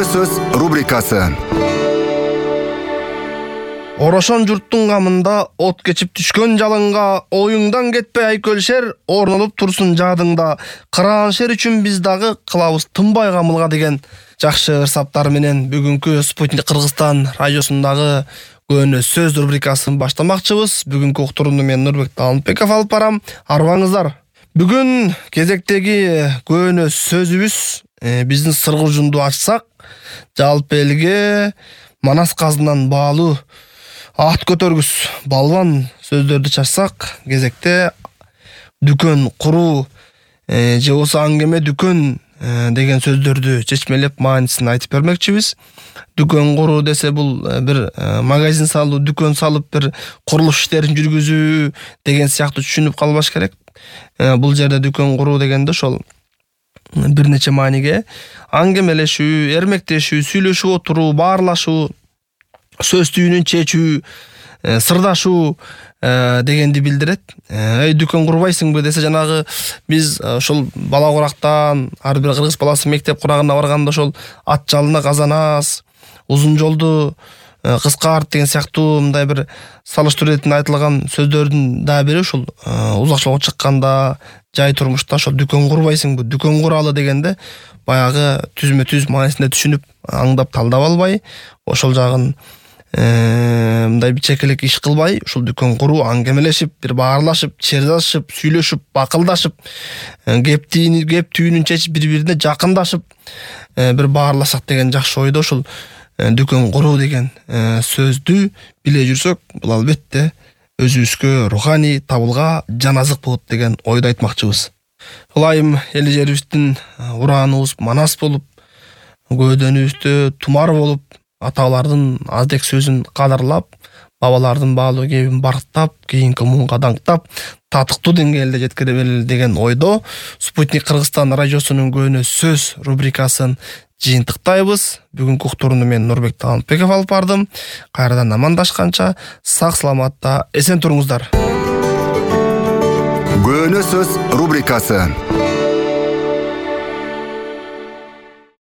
Көөнө сөз рубрикасы. Орошон журттун камында от кечип түшкөн жалынга оюңдан кетпей айкөлшер, орнолуп турсун жадыңда. Кырааншер үчүн биз дагы кылабыз тынбай камылга деген жакшы ырсаптар менен бүгүнкү Спутник Кыргызстан радиосундагы Көөнө сөз рубрикасын баштамакчыбыз. Бүгүнкү уктурууну мен Нурбек Таалынбеков алып барам. Арбаңыздар. Бүгүн кезектеги көөнө сөзүбүз биздин сыргыжунду ачсак, жалпы элге Манас казынан баалуу ат көтөргүс балбан сөздөрдү чачсак, кезекте дүкөн куруу же болбосо аңгеме дүкөн деген сөздөрдү чечмелеп маанисин айтып бермекчибиз. Дүкөн куруу десе бул бир магазин салуу, дүкөн салып бир курулуш иштерин жүргүзүү деген сыяктуу түшүнүп калбаш керек. Бул жерде дүкөн куруу дегенде ошол бир нече мааниге аңгемелешүү, эрмектешүү, сүйлөшүп отуруу, баарлашуу, сөз түйүнүн чечүү, сырдашуу дегенди билдирет. Дүкөн курбайсыңбы десе, жанагы биз ошол бала курактан ар бир кыргыз баласы мектеп курагына барганда ошол ат жалына казанас, узун жолду кыскарт деген сыяктуу мындай бир салыштыруу иретинде айтылган сөздөрдүн да бири ушул узак жолго чыкканда, жай турмушта ошол дүкөн курбайсыңбы, дүкөн куралы дегенде баягы түзмө түз маанисинде түшүнүп, аңдап талдап албай, ошол жагын мындай чекелек иш кылбай, ушул дүкөн куруу, аңгемелешип, бир баарлашып, чырдашып, сүйлөшүп, бакылдашып, кеп түйүнүн чечип, бири-бирине жакындашып, бир баарласак деген жакшы ойдо ушул дүкөн куруу деген сөздү биле жүрсөк, бул албетте өзүбүзгө руханий табылга жан азык болот деген ойду айтмакчыбыз. Ылайым эл жерибиздин урааныбыз Манас болуп, көөдөнүбүздө тумар болуп, аталардын аздек сөзүн кадырлап, бабалардын баалуу кебин барктап, кийинки муунга даңктап, татыктуу деңгээлде жеткире берели деген ойдо Спутник Кыргызстан радиосунун Көөнө сөз рубрикасын жыйынтыктайбыз. Бүгүнкү уктурууну мен Нурбек Таалынбеков алып бардым. Кайрадан амандашканча сак саламатта эсен туруңуздар. Көөнө сөз рубрикасы.